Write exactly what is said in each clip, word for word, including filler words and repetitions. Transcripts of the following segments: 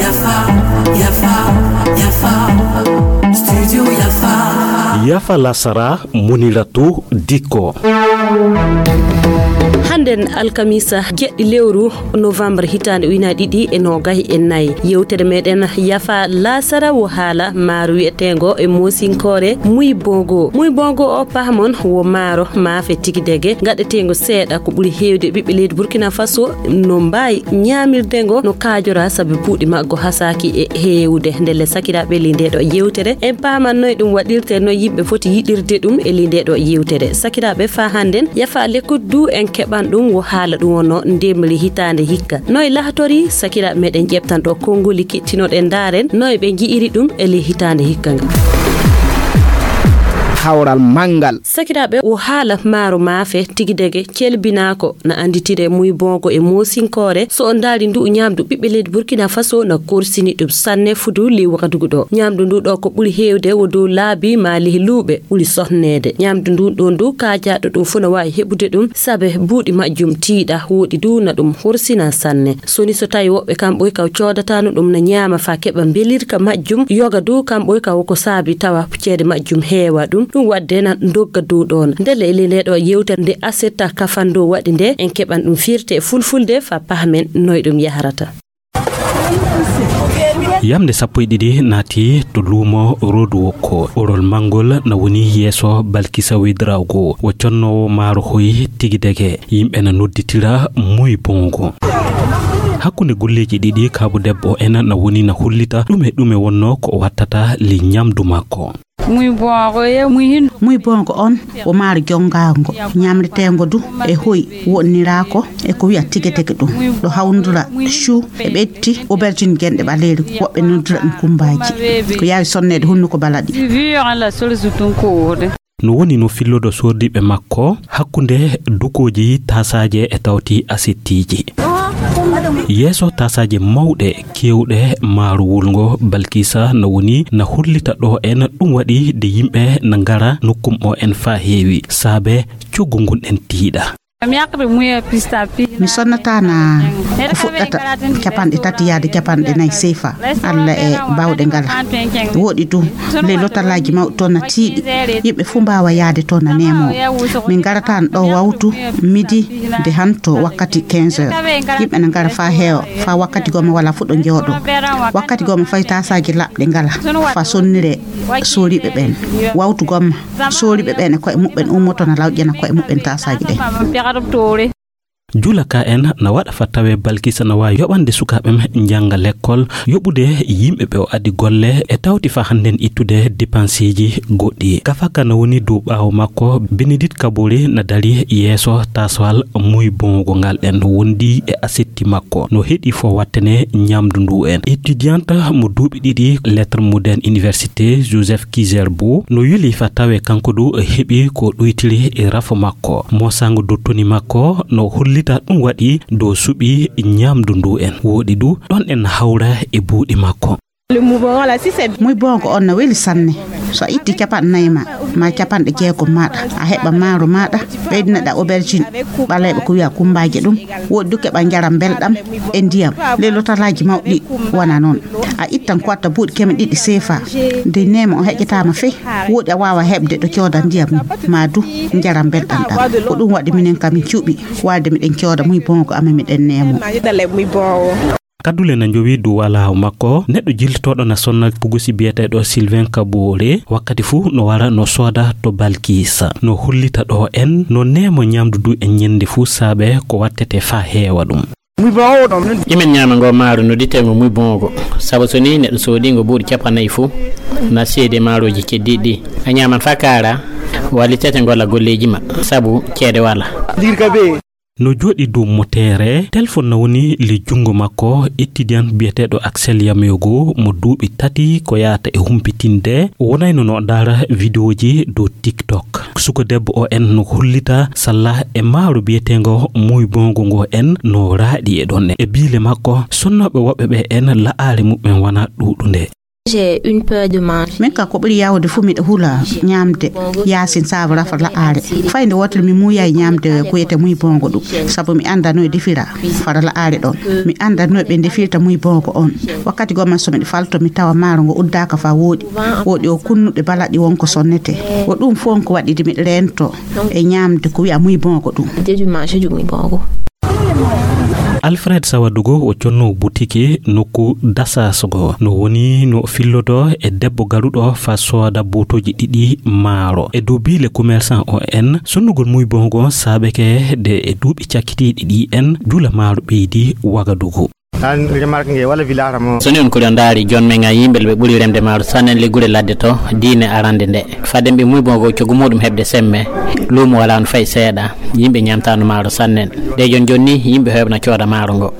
Yafa, yafa, yafa. Studio Yafa. Yafa lasara, Muniratu Dikko. Hannden alkamisa, jeɗɗi lewru novembre, hitaande ujunaaji ɗiɗi e noogayi e nayi. Yewtere meɗen Yafa lasara wo haala maaro wiyeteengo e moosinkoore Muy Bongo. Muy Bongo o, pahamon, wo maaro maafe tigi dege, gaɗeteengo seeɗa ko ɓuri heewde ɓiɓɓe leydi Burkina Faso no mbaawi ñaamirde ngo no kaajora, sabi buuɗi maggo hasaaki e heewde. Ndelle, sakiraaɓe, ley ndee ɗo yewtere, en paaman noy ɗum waɗirte, noy yimɓe foti yiɗirde ɗum e ley ndee ɗo yewtere. Sakiraaɓe, faa hannden, Yafa Lekot du en keɓan ɗum, wo haala ɗum wonno ndemri hitaande hikka. Noy lahtori, sakiraaɓe meɗen ƴeɓtan ɗo konngoli kittinoɗen, ndaaren noy ɓe nji'iri ɗum e ley hitaande hikka nga. Hawral manngal. Sakiraaɓe, wo haala maaro maafe tigi dege celbinaako na annditire Muy Bongo e moosinkoore. So on ndaari ndu ñaamdu ɓiɓɓe leydi Burkina Faso na korsini ɗum sanne fudu ley Wagadugu ɗo. Ñaamdu ndu ɗo ko ɓuri heewde wo dow laabi maa ley luuɓe ɓuri sohneede. Ñaamdu ndu ɗo ndu kaajaaɗo ɗum fuu na waawi heɓude ɗum, sabe buuɗi majjum tiiɗa, woɗi du na ɗum horsina sanne. Soni so tawi woɓɓe kam ɓoy kaw coodatano ɗum na ñaama faa keɓa mbelirka majjum, yoga du kam ɓoy kaw ko saabi tawa ceede majjum heewa ɗum, ɗum waɗde na ndogga dow ɗoon. Ndelle e ley ndee ɗo yewtere nde Aseta Kafando waɗi nde, en keɓan ɗum firte e fulfulde faa pahmen noy ɗum yahrata. Yamnde sappo e ɗiɗi naati to luumo Road Walk. Orol manngol na woni yeeso Balkisa Ouedraogo. Wo connoowo maaro hoy tigi dege. Yimɓe na nodditira Muy Bongo. Hakkunde golleeji ɗiɗi, kaabu debbo en na woni na hollita ɗume ɗume wonnoo ko o wattata ley ñamdu makko. Muy Bongo ye, muy hin. Muy Bongo on wo maaro jonngaango, ñamreteengo du e hoy, woɗniraako e ko wi'a tege tege ɗum. Ɗo hawndura chou e ɓetti aubergine genɗe ɓaleeri, woɓɓe noddira ɗum kumbaaji. Ko yaawi sonneede hunnuko balaɗi. Si vi on la solution tun ko wode. No woni no fillodo sordiiɓe makko hakkunde dukooji taasaaje e tawti asettiiji. Yeeso taasaaje mawɗe keewɗe maaro wulngo, Balkisa na woni na hollita ɗo en ɗum waɗi de yimɓe na ngara nokkum o en faa heewi, saabe coggu ngun en tiiɗa. Mi sonnataana ko fuɗɗata capanɗe tati yaade capanɗe nayi seefa, Alla e baawɗe ngala. Woɗi du, ley lotalaaji mawɗi toon na tiiɗi. Yimɓe fuu mbaawa yaade toon na neemoo. Min ngarataano ɗo wawtu midi de hanto wakkati quinze heures. Yimɓe na ngara faa heewa, faa wakkati goma wala fuu ɗo njooɗo. Wakkati goma fay taasaaji laɓɗe ngala, faa sonniree sooriiɓe ɓeen. Wawtu goma, sooriiɓe ɓeen e ko'e muɓɓen ummoto na lawƴana ko'e muɓɓen taasaaji ɗen. Julaka en na waɗa faa tawee Balkisa na waawi yoɓande sukaaɓe njannga lekkol, yoɓude yimɓe ɓe o addi golle, e tawti faa hannden ittude depanseeji goɗɗi. Gafaka na woni dow ɓaawo makko, Benedict Kabore na dari yeeso taaswal Muy Bongo ngal en wondi e asetti makko. No heɗi fo wattane ñamdu ndu en. Étudiante mo duuɓi ɗiɗi lettres modernes université Joseph Kizerbo no yuli faa tawee kanko du heɓi ko ɗuytiri e rafo makko. Mosango dottoni makko no hollita ɗum waɗi dow suɓi ñamdu ndu en. Woɗi du ɗon en hawra e buuɗi makko. Muy Bongo on na weli sanne. So a itti capanɗe nayi ma, ma capanɗe jeegom maɗa, a heɓa maaro maɗa, ɓeydinaɗa aubergine ɓaleeɓe ko wi'a kumbaaje ɗum. Woɗi du keɓa njaram belɗam e ndiyam. Ley lotalaaji mawɗi wona noon. A ittan ko watta buuɗi keme ɗiɗi seefa. Nde neema o heƴetaama fey, woɗi a waawa heɓde ɗo cooda ndiyam ma du njaram belɗam ɗam. Ko ɗum waɗi minen kam min cuɓi waalde miɗen cooda Muy Bongo amen miɗen neemo. Kadule na njowi dow walaawo makko, neɗɗo jiltotooɗo na sonna pugusi biyeteeɗo Sylvain Kabore, wakkati fuu no wara no sooda to Balkisa. No hollita ɗo en no neemo ñamdu du e ñende fuu saabe ko wattete faa heewa ɗum. Imin ñaama ngo maaro no ditengo Muy Bongo, sabu so ni neɗɗo soodi ngo buuɗi capanɗe nayi fuu, na seede maarooji keddiiɗi ɗi. A ñaaman faa kaara, walitete ngola golleeji ma, sabu ceede wala. No jooɗi dow moteere, telefon na woni ley junngo makko, étudiant biyeteeɗo Axel Yameogo mo duuɓi tati ko yahata e humpitinde. O wonayno no ndaara vidéoji dow TikTok. Suka debbo o en no hollita salla e maaro biyeteengo Muy Bongo ngo en no raaɗi e ɗon. E biile makko, sonnooɓe woɓɓe ɓe en la'aare muɓɓen wona ɗuuɗunde. J'ai une peur de manger. Min ka ko ɓuri yawde fuu miɗo hula ñaamde yaasin saabu rafa la'aare. Fay nde wootere mi muuyaay ñaamde ko wiyetee muy bongo ɗum, sabu mi anndaa no e defira fara la'aare ɗon. Mi anndaa no ɓe ndefirta muy bongo on. Wakkati goma so miɗo falto mi tawa maaro ngo uddaaka fa wooɗi. Wooɗi o kunnuɗe balaɗi won ko sonnete. Ko ɗum fof ko waɗi de miɗo reento e ñaamde ko wiya muy bongo ɗum. J'ai dû manger du muy bongo. Alfred Sawadugo o conno butiki nokku Dasasogo no woni no fillodo e debbo garuɗo fa sooda botoji ɗiɗi maaro e dow bile commerçant o en sonnugol muy bongo saabeke de e duuɓi cakkitiiɗi ɗi en jula maaro ɓeydi Wagadugu. Soni on kuri on ndaari joon men ngan yimɓe ɓe ɓuri remde maaro sannen liggure ladde to diine arande nde. Fadden ɓe muy bongo coggu muɗum heɓde semme luumo wala no fay seeɗa. Yimɓe ñamtano maaro sannen. De jon jonni yimɓe heɓna cooda maaro ngo.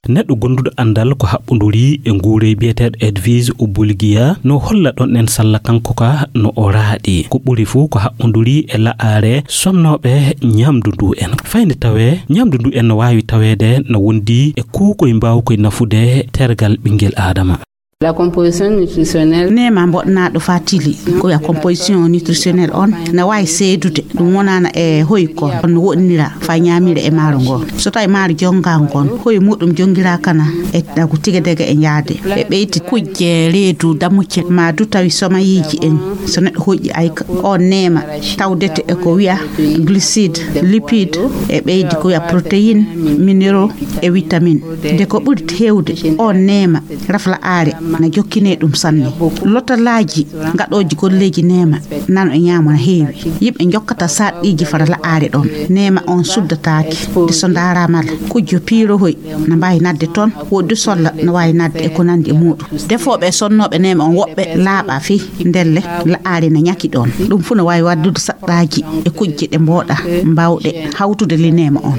Neɗɗo gonduɗo andal ko haɓɓoduri e nguurey biyeteeɗo Edwige Obulgiya no holla ɗon en salla kanko ka no o raaɗi ko ɓuri fuu ko haɓɓoduri e la'aare sonnooɓe ñamdu ndu en fayde tawee ñamdu ndu en no waawi taweede no wondi e kuukoy mbaawkoy nafude tergal ɓinngel aadama. La composition nutritionnelle. Neema mboɗnaaɗo fa tili ko wiya composition nutritionnelle on na waawi seedude ɗum wonaana e hoy kon no woɗnira fa ñaamira e maaro ngon. So tawi maaro jonngaango ngon hoy muɗum jonngiraakana e ɗagu tigadega e njaade e ɓeydi kujje reedu damucce ma du tawi somayiiji en so neɗɗo hoƴƴi ayka on neema tawdete e ko wiya glucide lipide e ɓeydi ko wiya protéine minéraux e vitamine. De ko ɓuri heewde on neema rafla aare na jokkinee ɗum sanne. Lotalaaji gaɗooji golleeji neema nano e ñaamo na heewi. Yimɓe jokkata sarɗiiji fara la'aare ɗon. Neema on suddataake de so ndaaraama la kujjo piirohoy na mbaawi nadde toon woɗdu solla na waawi nadde e ko nanndi e muuɗum. Defooɓe e sonnooɓe neema on woɓɓe laaɓa fii ndelle la'aare na ñaki ɗoon. Ɗum fuu na waawi waddude saɗɗaaji e kujje ɗe mbooɗa mbaawɗe hawtude li neema on.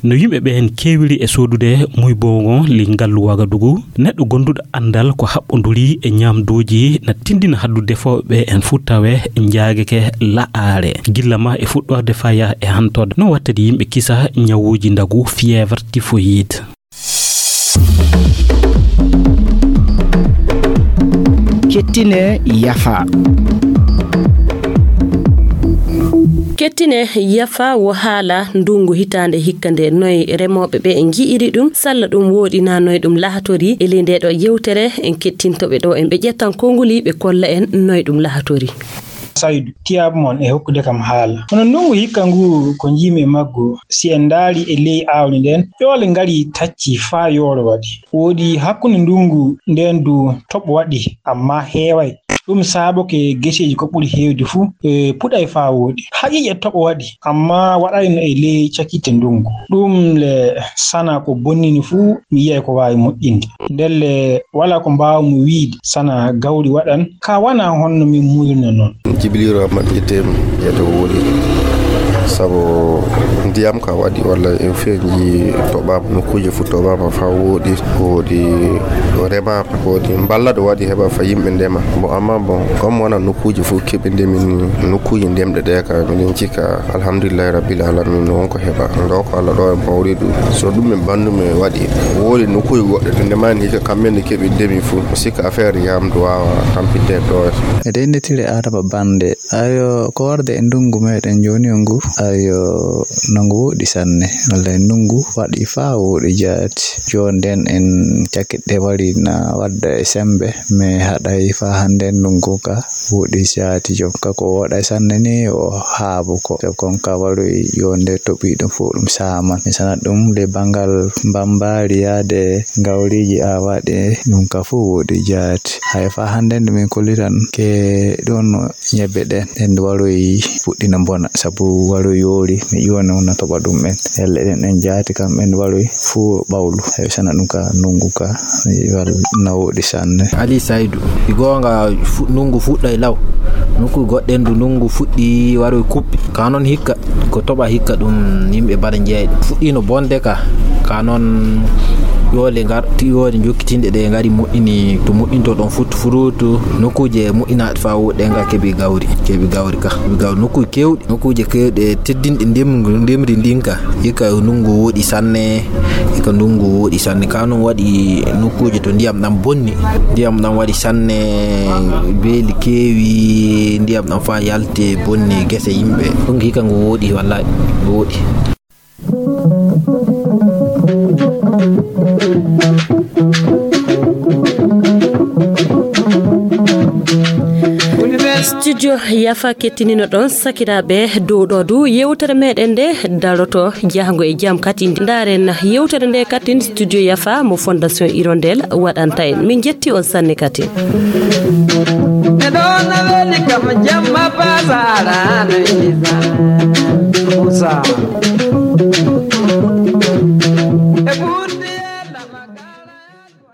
No yimɓe ɓeen keewiri e soodude muy bongo li ngallu Wagadugu, neɗɗo gonduɗo anndal ko haɓɓonduri e ñaamduuji na tinndina haddu defooɓe ɓeen fuu tawe njaageke la'aare gilla ma e fuɗɗorde faya e hantorde no wattadi yimɓe kisa ñawuuji ndagu fièvre typhoïde. Kettine yafa. Kettine yafa wo haala ndungu hitaande hikka nde noy remooɓe ɓe nji'iri ɗum salla ɗum wooɗi na noy ɗum lahatori e ley nde ɗo yewtere en kettintoɓe ɗo en ɓe ƴettan konguli ɓe kolla en noy ɗum lahatori. Saydu tiyaabu mon e hokkude kam haala. Kono ndungu hikka ngu ko njiimi e maggu, si en ndaari e ley aawdi nden, ƴoole ngari tacci faa yooro waɗi. Wooɗi hakkunde ndungu nden du toɓo waɗi, amma heeway. Ɗum saaboke geseeji ko ɓuri heewde fuu e puɗay faa wooɗi. Haqiiqe toɓo waɗi, amma waɗayno e ley cakitte ndungu. Ɗum le sana ko bonnini fuu mi yiyay ko waawi moƴƴinde. Ndelle walaa ko mbaawmi wiyde sana gawri waɗan ka wanaa honno min muuyruno non. Jibiliiru Amadu ƴetteemi ƴeeto wooɗi sabu ndiyam ka waɗi walla en feeñji toɓaama nokkuuje fof toɓaama faa wooɗi wooɗi remaama wooɗi mballa ɗo waɗi heɓa fa yimɓe ndema. Bon amma bon comme wona nokkuuje fof keɓe ndemi ni nokkuuje ndemɗe ɗe ka miɗen cikka alhamdulillahi rabbil alamin no wonko heɓa ɗo ko Allah ɗo e mawridu so ɗum e bandu men waɗi wooɗi nokkuuje goɗɗe to ndemani hikka kamɓe nde keɓi ndemi fof sikka affaire yamdu wawa tampinde ɗo. E deyndetire adama bande ayo ko warde e ndungu meɗen joni o ngu ayo no ngu woɗi sanne walla e ndungu waɗi fa woɗi jaati jonden en cakkiɗe wari na wadda e sembe mais haɗay fa hande ndungu ka woɗi jaati jom ka ko woɗa sanne ni o haabu ko jom kon ka waroy yonde toɓi ɗum fof ɗum saman mi sanat ɗum le bangal mbambari yaade ngawriji awaɗe ɗum ka fof woɗi jaati hay fa hande nde min kollitan ke ɗon ñebbe ɗen en waroy fuɗɗina bona sabu waroy yoori mi ƴiwani on na toɓa ɗum en elle ɗen en jaati kam en waroy fuu ɓawlu hay sana ɗum ka ndungu ka wal na woɗi sanne. Ali Saydu ɗi goonga ndungu fuɗɗa e law nokku goɗɗen du ndungu fuɗɗi waroy kuɓɓi ka noon hikka ko toɓa hikka ɗum yimɓe mbaɗa jeeyɗe fuɗɗino bonde ka ka noon Tiwole ngar tiwole jokkitinɗe ɗe ngari moƴƴini to moƴƴinto ɗon futu furutu. Nokkuuje moƴƴinaaɗe faa woɗɗe nga keɓi gawri keɓi gawri ka keɓi gawri nokkuuje kewɗe nokkuuje kewɗe teddinɗe ndemri ndinka. Hikka ndungu woɗi sanne. Hikka ndungu woɗi sanne ka noon waɗi nokkuuje to ndiyam ɗam bonni. Ndiyam ɗam waɗi sanne. Beeli keewi ndiyam ɗam faa yalte bonni gese yimɓe. Ɗum hikka ngu woɗi wallaahi ngu woɗi. Studio Yafa kettinino ɗon sakiraaɓe dow ɗo du yewtere meɗen nde daroto jahango e jam kadi ndaaren yewtere nde kadi studio Yafa mo fondation Hirondelle waɗanta en min jetti on sanne kadi. Neɗo na weli kam jamma pasara no isa. Musa.